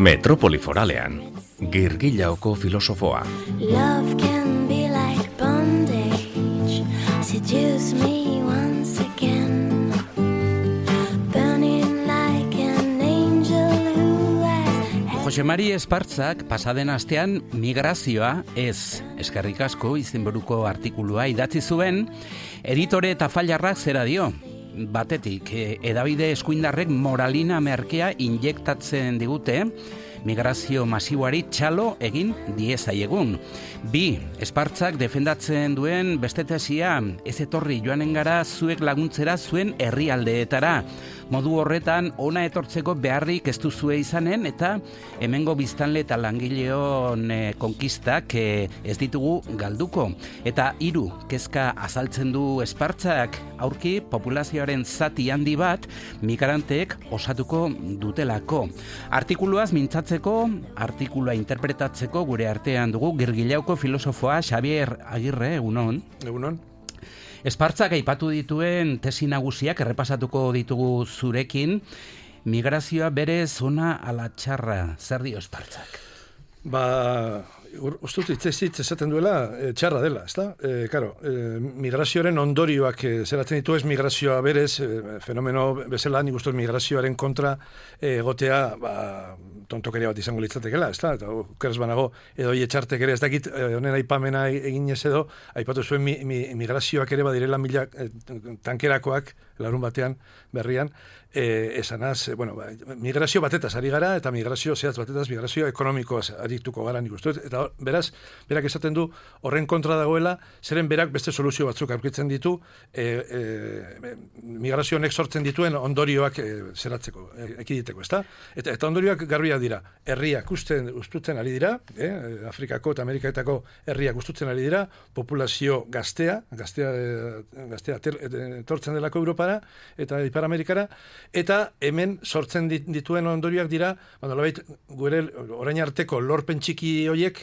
Metropoli Foralean, Girgillaoko filosofoa. Love can be like bondage, seduce me once again, burning like an angel who has... Jose Mari Espartzak pasaden astean migrazioa ez, eskerrik asko izenburuko artikulua idatzi zuen, editore eta failarrak zera dio. Batetik, edabide eskuindarrek moralina merkea injektatzen digute, migrazio masiboari txalo egin diezaiegun. 2. Espartzak defendatzen duen beste tesia, ez etorri joanen gara zuek laguntzera zuen herrialdeetara. Modu horretan ona etortzeko beharrik ez duzue izanen eta hemengo biztanle eta langileon konkistak ez ditugu galduko. Eta 3. Kezka azaltzen du Espartzak, aurki populazioaren zati handi bat migranteek osatuko dutelako. Artikuluaz mintzatzeko, artikulua interpretatzeko gure artean dugu Girgillauko filosofoa Xabier Agirre, egunon. Egunon. Espartzak aipatu dituen tesi nagusiak errepasatuko ditugu zurekin. Migrazioa berez ona ala txarra, zer dio Espartzak? Uste dut hitz esaten duela txarra dela, ezta? Migrazioaren ondorioak zeratzen ditu ez migrazioa berez, fenomeno bezala nik uste migrazioaren kontra egotea tontokeria bat izango litzatekela, ezta? Eta okeraz banago edo etxartek ere ez dakit honen aipamena eginez edo aipatu zuen migrazioak ere badirela mila tankerakoak larun batean berrian, esanaz, migrazio batetaz ari gara eta migrazio zehatz batetaz, migrazio ekonomikoaz arituko gara nik uste. Eta beraz, berak esaten du horren kontra dagoela, zeren berak beste soluzio batzuk aurkitzen ditu, migrazio honek sortzen dituen ondorioak zeratzeko, ekiditeko, ezta? Eta ondorioak garbiak dira, herriak ustutzen ari dira, Afrikako eta Ameriketako herriak ustutzen ari dira, populazio gaztea etortzen delako Europara eta Ipar Amerikara, eta hemen sortzen dituen ondorioak dira, gure orain arteko lorpen txiki horiek,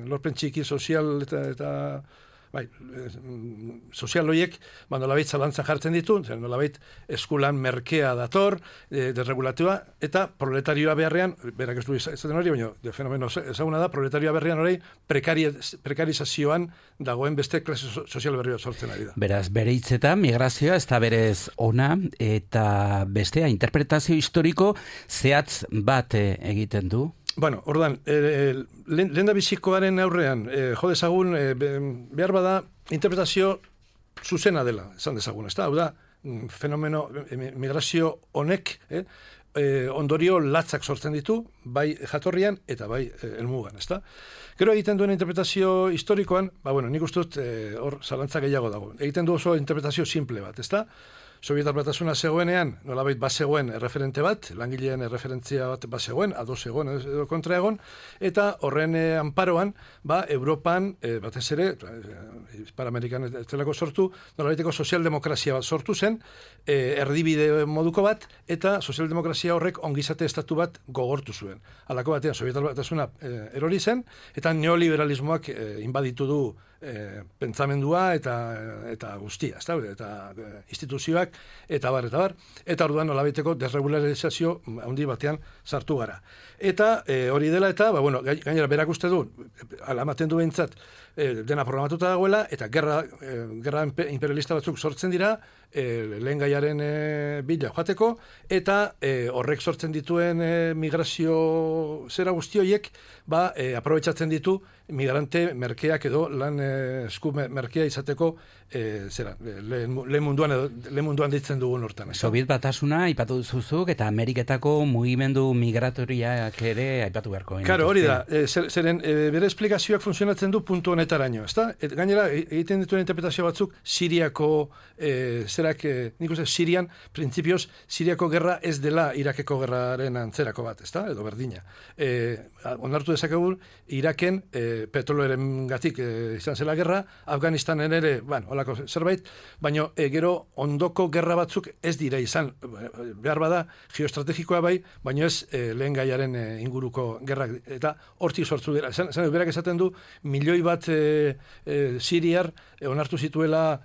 lorpen txiki sozial eta sozial horiek, nolabait zalantzan jartzen ditu, nolabait eskulan merkea dator, desregulatua, eta proletarioa beharrean, berak ez du izaten hori, baina de fenomeno ezaguna da, proletarioa beharrean hori prekarizazioan dagoen beste klase sozial berria sortzen ari da. Beraz, bere hitzetan, migrazioa ez da berez ona, eta bestea, interpretazio historiko zehatz bat egiten du. Orduan, lehen da bizikoaren aurrean, jo dezagun, behar bada, interpretazio zuzena dela, esan dezagun, ezta? Hau da, fenomeno, migrazio honek, ondorio latzak sortzen ditu, bai jatorrian eta bai helmugan, ezta? Gero egiten duen interpretazio historikoan, nik uste dut hor zalantza gehiago dago. Egiten du oso interpretazio simple bat, ezta? Sovietar Batasuna zegoenean, nolabait bazegoen erreferente bat, langileen erreferentzia bat bazegoen, ados egon, edo kontra egon, eta horren anparoan, Europan, batez ere, Ipar Amerikan ez delako sortu, nolabaiteko sozialdemokrazia bat sortu zen, erdibide moduko bat, eta sozialdemokrazia horrek ongizate estatu bat gogortu zuen. Halako batean, Sovietar Batasuna erori zen, eta neoliberalismoak inbaditu du pentsamendua eta guztia, eta instituzioak, eta bar. Eta orduan nolabaiteko desregularizazio handi batean sartu gara. Eta hori dela eta, gainera berak uste du, alamaten du behintzat, dena programatuta dagoela, eta gerra imperialista batzuk sortzen dira, lehen gaiaren bila joateko, eta horrek sortzen dituen migrazio zera guzti horiek, aprobetxatzen ditu migrante merkeak edo lan esku merkea izateko lehen munduan ditzen dugun hortan. Soviet Batasuna aipatu duzuzuk eta Ameriketako mugimendu migratoriak ere aipatu beharko. Claro, hori da, zeren bere esplikazioak funtzionatzen du puntu honetaraino, ezta? Gainera, egiten dituen interpretazio batzuk Siriako nik uste Sirian, printzipioz, Siriako gerra ez dela Irakeko gerraren antzerako bat, ezta? Edo berdina. Onartu dezakegu Iraken petroloaren gatik izan zela gerra, Afganistanen ere, holako zerbait, baina gero ondoko gerra batzuk ez dira izan, behar bada geoestrategikoa bai, baina ez lehen gaiaren inguruko gerrak, eta hortik sortu dira. Berak esaten du, milioi bat siriar onartu zituela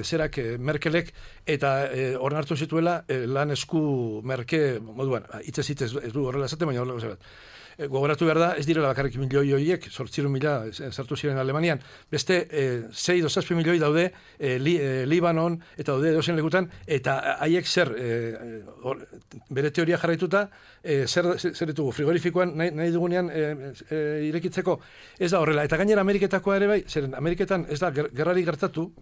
zerak Merkelek, eta onartu zituela lan esku merke moduan, hitzez ez du horrela esaten, baina horrela zerbait. gogoratu behar da, ez direla bakarrik milioi horiek, 800.000 sartu ziren Alemanian, beste 6-7 milioi daude Libanon, eta daude edozein lekutan, eta haiek zer, bere teoria jarraituta, zer ditugu, frigorifikoan nahi dugunean irekitzeko, ez da horrela. Eta gainera Ameriketakoa ere bai, zeren Ameriketan ez da gerrarik gertatu,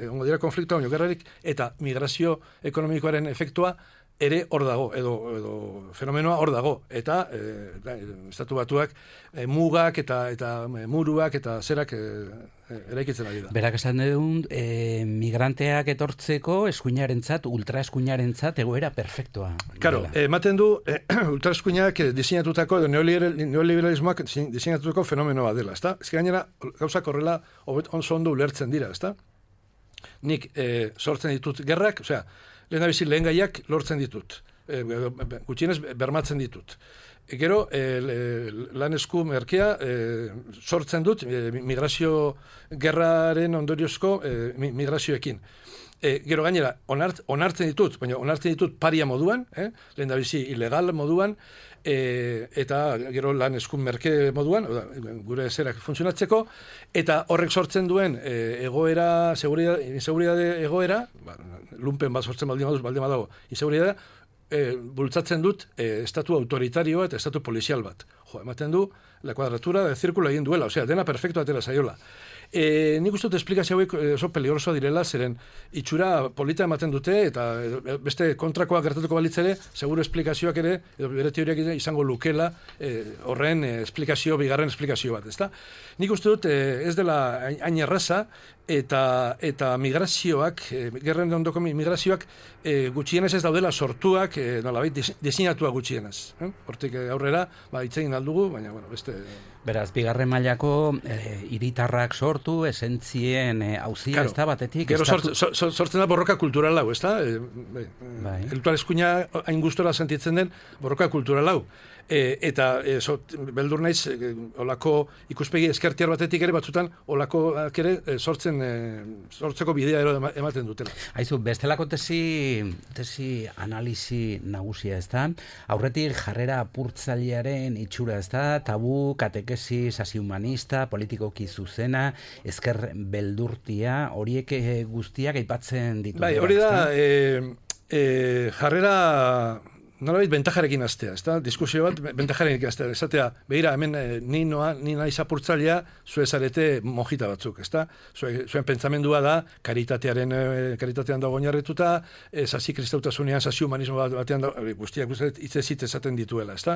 ongo dira konfliktua, baina gerrarik, eta migrazio ekonomikoaren efektua, ere hor dago, edo fenomenoa hor dago, eta estatu batuak mugak eta muruak eta zerak eraikitzen ari da. Berak esan dut, migranteak etortzeko eskuinarentzat, ultraeskuinarentzat egoera perfektua. Claro, ematen du ultraeskuinak diseinatutako, neoliberalismoak diseinatutako fenomenoa dela, ezta? Ez gainera, gauzak horrela oso ondo ulertzen dira, ezta? Nik sortzen ditut gerrak, osea, lehen gaiak lortzen ditut. Gutxienez bermatzen ditut. Gero, lan esku merkea sortzen dut migrazio gerraren ondoriozko migrazioekin. Gero gainera, onartzen ditut, baina onartzen ditut paria moduan, lehen da bizi ilegal moduan, eta gero lan eskun merke moduan, gure zerak funtzionatzeko, eta horrek sortzen duen egoera, inseguridade egoera, lumpen bat sortzen baldin badago, inseguridade, bultzatzen dut estatu autoritarioa eta estatu polizial bat. Ematen du, la kuadratura de zirkulo egin duela, osea, dena perfecto atera zaiola. Nik uste dut esplikazio hauek oso peligrosoa direla, zeren itxura polita ematen dute, eta beste kontrakoa gertatuko balitzere, seguro esplikazioak ere, bere teoriak izango lukela, horren bigarren esplikazio bat, ezta? Nik uste dut ez dela hain erraza, eta migrazioak, gerren ondoko migrazioak, gutxienez ez daudela sortuak, nolabait, diseinatuak gutxienez. Hortik aurrera, itzegin aldugu, baina, bueno, beste... Beraz, bigarren mailako hiritarrak sortu, esentzien hauzia, ez da batetik... Gero sortzen da borroka kultural hau, ez da? Eltual eskuina hain gustora sentitzen den borroka kultural hau. Eta beldur naiz, olako ikuspegi eskertiar batetik ere batzutan, olakoak ere sortzeko bidea ematen dutela. Haizu, bestelako tesi analizi nagusia, ez da? Aurretik jarrera apurtzailearen itxura, ez da? Tabu, katekesi, sasi humanista, politikoki zuzena, esker beldurtia, horiek guztiak aipatzen ditu. Bai, hori da, jarrera... Nolabait bentajarekin astea, ezta? Diskusio bat bentajarekin astea. Esatea, behira, hemen ni naiz apurtzailea, zue zarete mojita batzuk, ezta? Zuen pentsamendua da, karitatean dago oinarrituta, sasi kristautasunean, sasi humanismo batean dago, guztiak hitzezit esaten dituela, ezta?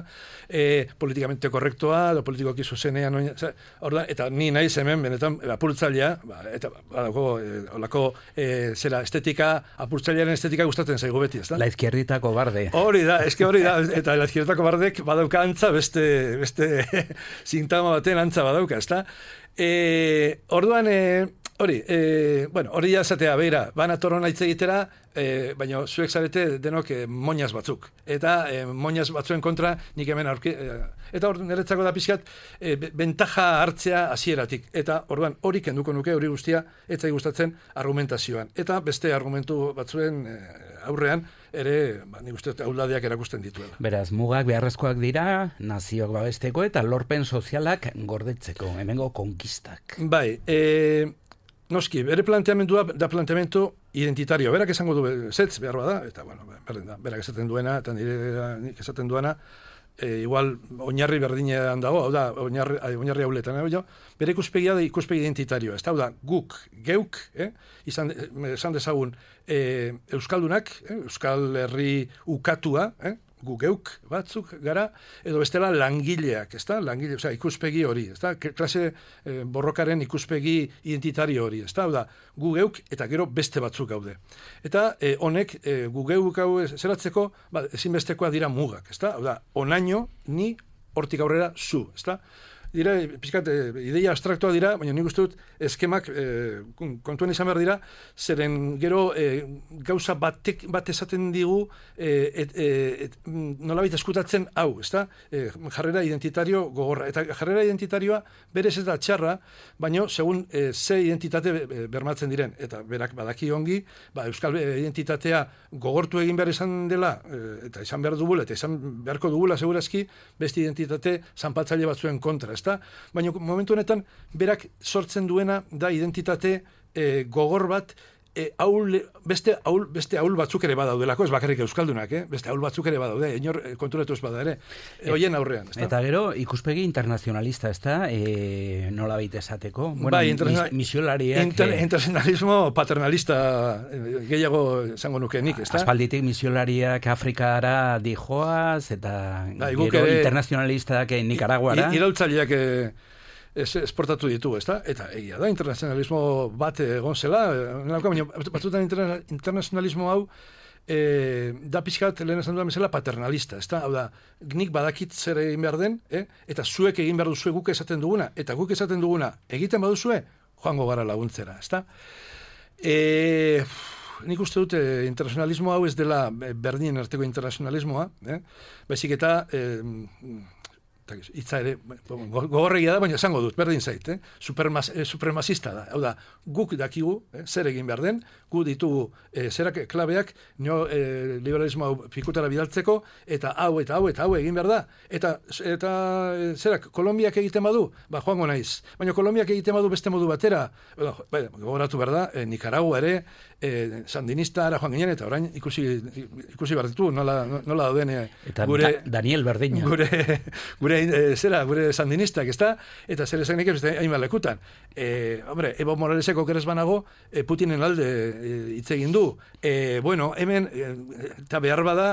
Politikamente korrektoa, edo politikoki zuzenean, eta ni naiz hemen, benetan, apurtzailea, eta olako zera estetika, apurtzailearen estetika gustatzen zaigu beti, ezta? La izquierditako barde. Hori da, eta la izquierdako bardek badauka antza, beste sintama baten antza badauka, ezta? Orduan, hori jazatea, beira, banatorona hitz egitera, baina zuek zarete denok moñaz batzuk. Eta moñaz batzuen kontra nik hemen eta hor niretzako da pixkat bentaja hartzea hasieratik. Eta orduan hori kenduko nuke, hori guztia, etzai gustatzen argumentazioan. Eta beste argumentu batzuen aurrean, ere, nik uste auladiak erakusten dituela. Beraz, mugak beharrezkoak dira, nazioak babesteko eta lorpen sozialak gordetzeko, hemengo konkistak. Bai, noski, bere planteamendua da planteamendu identitario. Berak esango du, zetz behar bada, eta, bueno, berak esaten duena, eta nik esaten duena, igual oinarri berdinean dago, hau da, oinarri hauletan, bere ikuspegia da ikuspegi identitario, ez da, hau da, guk, geuk, esan dezagun, euskaldunak, euskal herri ukatua, gu geuk batzuk gara, edo bestela langileak, ez da? Langile, osea, ikuspegi hori, ez da? Klase borrokaren ikuspegi identitario hori, ez da? Hau da, gu geuk eta gero beste batzuk gaude. Eta honek, gu geuk hau zeratzeko, ezinbestekoa dira mugak, ez da? Hau da, onaino, ni, hortik aurrera, zu, ez da? dira, pixkat, ideia abstraktua dira, baina nik uste dut eskemak kontuan izan behar dira, zeren gero gauza bat esaten digu nolabait eskutatzen hau, ezta? Jarrera identitario gogorra. Eta jarrera identitarioa berez ez da txarra, baina segun ze identitate bermatzen diren. Eta berak badaki ongi, euskal identitatea gogortu egin behar izan dela, eta izan behar dugula, eta izan beharko dugula segurazki, beste identitate zanpatzaile batzuen kontra, ezta? Baina momentu honetan, berak sortzen duena da identitate gogor bat, beste ahul batzuk ere badaudelako, ez bakarrik euskaldunak, beste ahul batzuk ere badaude, inor konturatu ez bada ere, hoien aurrean. Ezta? Eta gero, ikuspegi internazionalista, ez da, nola baita esateko? Bueno, misiolariak... Internacionalismo paternalista gehiago zango nuke nik, ez da? Aspalditik misiolariak Afrikara dijoaz, eta gero internazionalistak Nicaraguara. Iraultzaileak esportatu ditu, ezta? Eta egia da, internazionalismo bat egon zela, baina batzutan internazionalismo hau da pixkat lehen esan duan bezala paternalista, ezta? Hau da, nik badakit zer egin behar den, eta zuek egin behar duzue guk esaten duguna, eta guk esaten duguna egiten baduzue, joango gara laguntzera, ezta? Nik uste dut internazionalismo hau ez dela berdinen arteko internazionalismoa, baizik eta hitza ere, gogorregia da, baina esango dut, berdin zait, supremazista da. Hau da, guk dakigu, zer egin behar den, gu ditugu zerak klabeak, liberalismo hau pikutara bidaltzeko, eta hau egin behar da. Eta zerak, Kolombiak egiten badu, joango naiz. Baina Kolombiak egiten badu beste modu batera, gogoratu behar da, Nicaragua ere, sandinista ara joan ginen, eta orain ikusi behar ditu, nola dauden gure... Daniel Berdina. Gure sandinistak, ezta? Eta zer esan nik hainbat lekutan. Hombre, Evo Moraleseko keres banago, Putinen alde hitz egin du. Bueno, hemen, eta behar bada,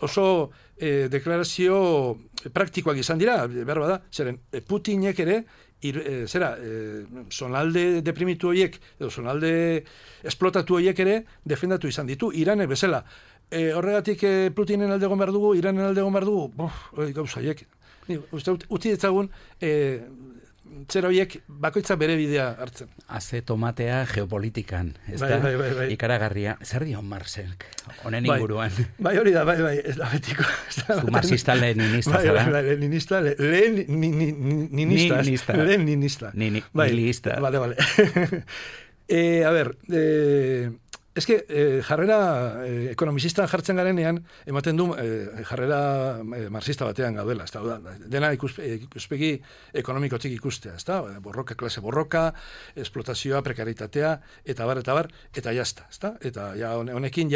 oso deklarazio praktikoak izan dira, behar bada, zeren Putinek ere, zonalde deprimitu horiek, edo zonalde esplotatu horiek ere, defendatu izan ditu, Iranek bezala. Horregatik Putinen alde egon behar dugu, Iranen alde egon behar dugu, gauza horiek. Utzi ditzagun, zera horiek bakoitza bere bidea hartzen. Haze tomatea geopolitikan, ez da? Bai. Ikaragarria. Zer dio Marxek, honen inguruan? Bai, hori da, ez da betiko. Zu marxista leninista, zara? Bai, leninista, leninista. Nihilista. Vale. A ver, es que jarrera ekonomisistan jartzen garenean, ematen du jarrera marxista batean gaudela, ezta? Dena ikuspegi ekonomikotik ikustea, ezta? Klase borroka, esplotazioa, prekaritatea, eta bar, eta jazta, ezta? Eta honekin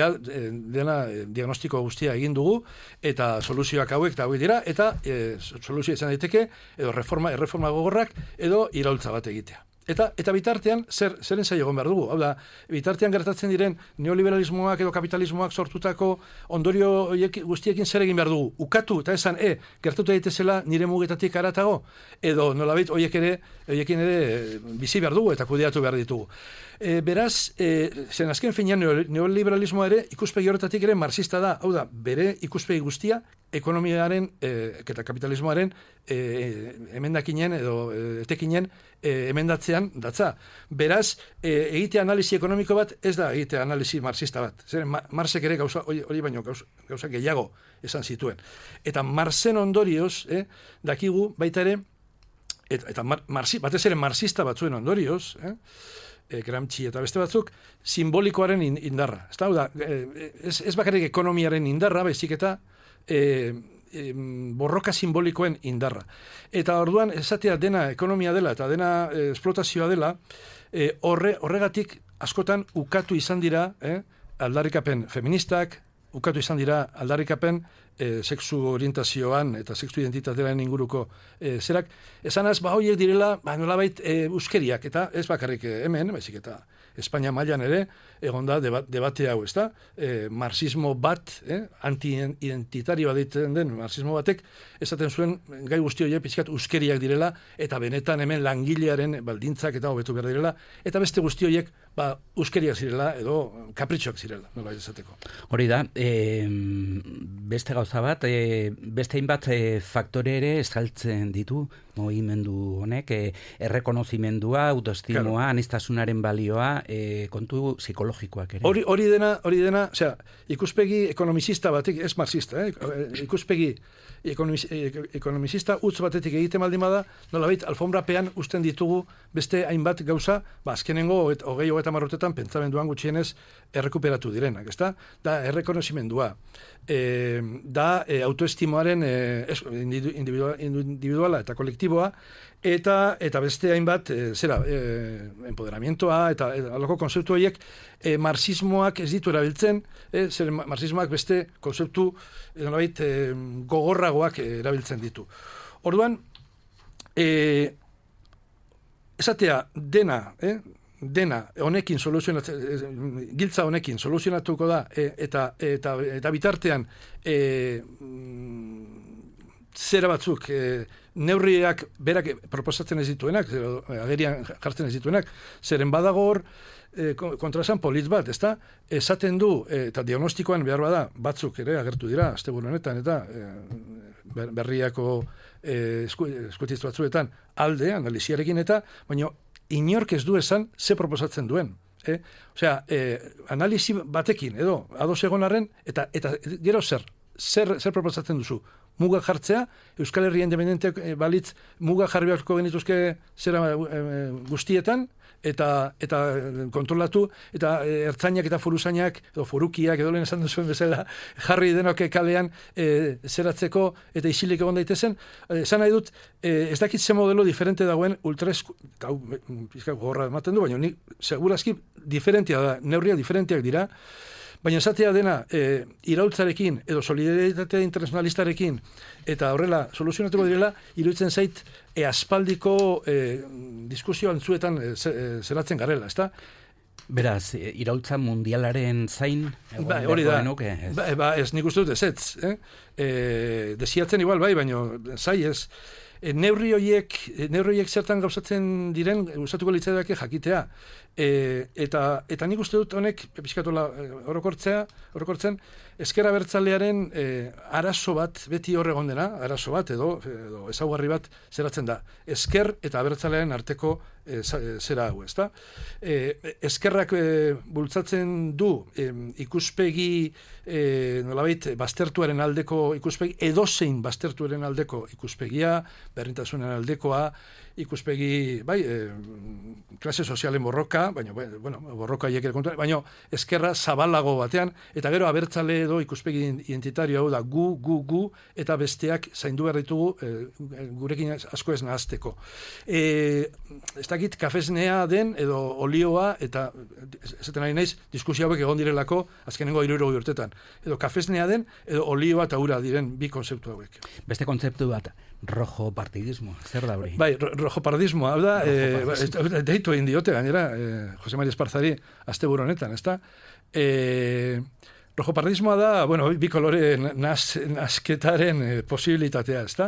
dena diagnostiko guztia egin dugu, eta soluzioak hauek dira, eta soluzioa izan daiteke, edo erreforma gogorrak, edo iraultza bat egitea. Eta bitartean, zeren zailo egon behar dugu? Hau da, bitartean gertatzen diren neoliberalismoak edo kapitalismoak sortutako ondorio guztiekin zer egin behar dugu? Ukatu, eta esan, gertatu daitezela nire mugetatik aratago? Edo nolabait horiekin ere bizi behar dugu eta kudeatu behar ditugu. Beraz, zen azken finean neoliberalismoa ere ikuspegi horretatik ere marxista da. Hau da, bere ikuspegi guztia ekonomiaren eta kapitalismoaren emendakinen edo etekinen emendatzean datza. Beraz, egitea analisi ekonomiko bat ez da egitea analisi marxista bat. Zer, Marxek ere hori baino gauza gehiago esan zituen. Eta Marxen ondorioz, dakigu baita ere, eta batez ere marxista batzuen ondorioz, Gramsci eta beste batzuk, simbolikoaren indarra. Ez bakarrik ekonomiaren indarra, baizik eta borroka simbolikoen indarra. Eta orduan, esatea dena ekonomia dela eta dena esplotazioa dela, horregatik askotan ukatu izan dira aldarrikapen feministak, ukatu izan dira aldarrikapen sexu orientazioan eta sexu identitatearen inguruko zerak. Esanaz, horiek direla, nolabait euskeriak, eta ez bakarrik hemen, baizik eta Espainia mailan ere, egon da debate hau, ez da? Marxismo bat, anti-identitarioa ditzen den marxismo batek, esaten zuen gai guzti horiek pixkat euskeriak direla, eta benetan hemen langilearen baldintzak eta hobetu behar direla, eta beste guzti horiek uskeriak zirela edo kapritxoak zirela, nola izateko. Hori da, beste gauza bat, beste hainbat faktore ere estaltzen ditu mugimendu honek, errekonozimendua, autoestimoa, aniztasunaren balioa, kontu psikologikoak ere. Hori dena, osea, ikuspegi ekonomizista batek, ez marxista, ikuspegi ekonomizista utz batetik egiten baldin bada, nolabait alfombrapean usten ditugu beste hainbat gauza, azkenengo 20-30 urtetan pentsamenduan gutxienez errekuperatu direnak, ezta? Da errekonozimendua, da autoestimoaren individuala eta kolektiboa, eta beste hainbat, empoderamientoa, eta aloko konzeptu horiek marxismoak ez ditu erabiltzen, marxismoak beste konzeptu gogorragoak erabiltzen ditu. Orduan, esatea dena honekin giltza honekin soluzionatuko da, eta bitartean zera batzuk neurriak berak proposatzen ez dituenak, agerian jartzen ez dituenak, zeren badago hor kontraesan polit bat, ezta? Esaten du, eta diagnostikoan behar bada, batzuk ere agertu dira, asteburu honetan, eta berriako eskutitz batzuetan alde, analiziarekin eta, baina inork ez du esan ze proposatzen duen. Osea, analizi batekin, edo, ados egon arren, eta gero zer proposatzen duzu? Muga jartzea, Euskal Herria independenteak balitz muga jarri beharko genituzke zera guztietan, eta kontrolatu, eta ertzainak eta foruzainak, edo forukiak, edo lehen esan duzuen bezala, jarri denok kalean zeratzeko eta isilik egon daitezen. Esan nahi dut, ez dakit ze modelo diferente dagoen pizka gorra ematen du, baina ni segurazki diferentia da, neurriak diferentiak dira, baina esatea dena iraultzarekin edo solidaritate internazionalistarekin eta horrela soluzionatuko direla, iruditzen zait aspaldiko diskusio antzuetan zeratzen garela, ezta? Beraz, iraultza mundialaren zain hori da. Ez nik uste dut ez. Desiatzen igual bai, baina zai ez. Neurri horiek zertan gauzatzen diren gustatuko litzaidake jakitea. Eta nik uste dut honek pixkatola orokortzen ezker abertzalearen arazo bat beti hor egon dena, arazo bat edo ezaugarri bat zeratzen da. Ezker eta abertzalearen arteko zera hau, ezta? Ezkerrak bultzatzen du ikuspegi nolabait baztertuaren aldeko ikuspegi, edozein baztertuaren aldeko ikuspegia, berdintasunen aldekoa, ikuspegi, klase sozialen borroka, baina, borroka haiek ere kontuan, baina ezkerra zabalago batean, eta gero abertzale edo ikuspegi identitario hau da gu, eta besteak zaindu behar ditugu gurekin asko ez nahazteko. Ez dakit kafesnea den, edo olioa, eta esaten ari naiz, diskusio hauek egon direlako, azkenengo 60 urtetan. Edo kafesnea den, edo olioa eta ura diren bi konzeptu hauek. Beste kontzeptu bat, rojo partidismo, zer da hori? Bai, rojo partidismo, hau da, deitu egin diote, gainera, Jose Mari Esparzari asteburu honetan, ezta? Rojo partidismoa da, bi kolore nasketaren posibilitatea, ezta?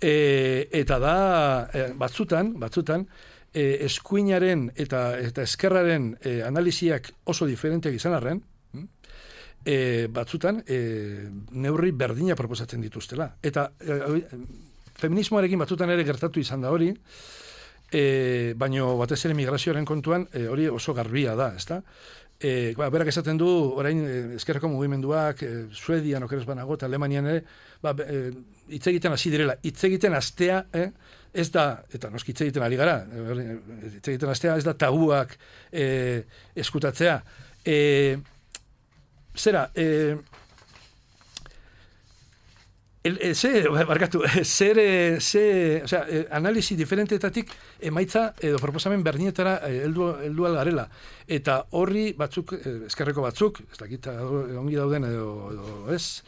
Eta da, batzutan, eskuinaren eta eskerraren analiziak oso diferenteak izan arren, batzutan neurri berdina proposatzen dituztela. Eta feminismoarekin batzutan ere gertatu izan da hori, baino batez ere migrazioaren kontuan hori oso garbia da, ezta? Berak esaten du, orain ezkerreko mugimenduak, Suedian okeres banago, eta Alemanian ere, hitz egiten hasi direla. Hitz egiten astea, ez da, eta noski hitz egiten ari gara, hitz egiten astea ez da tabuak eskutatzea. Analisi diferentetatik emaitza edo proposamen berdinetara heldu algarela. Eta horri batzuk, eskerreko batzuk, ez dakit ongi dauden edo ez,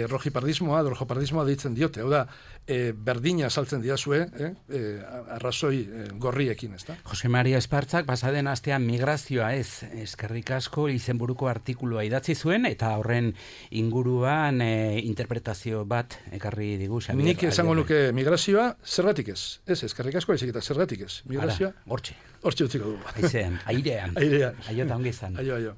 rojipardismoa, rojopardismoa deitzen diote, hau da, berdina saltzen diazue, arrazoi gorriekin, ez da? Jose Maria Espartzak pasaden astean migrazioa ez, eskerrik asko izenburuko artikulua idatzi zuen, eta horren inguruan interpretazio bat ekarri digu. Xabier, nik esango nuke migrazioa zergatik ez. Ez, eskerrik asko baizik eta zergatik ez. Migrazioa, hortxe hortxe utziko dugu. Aizean, airean. Airean. Aio eta ongi izan. Aio.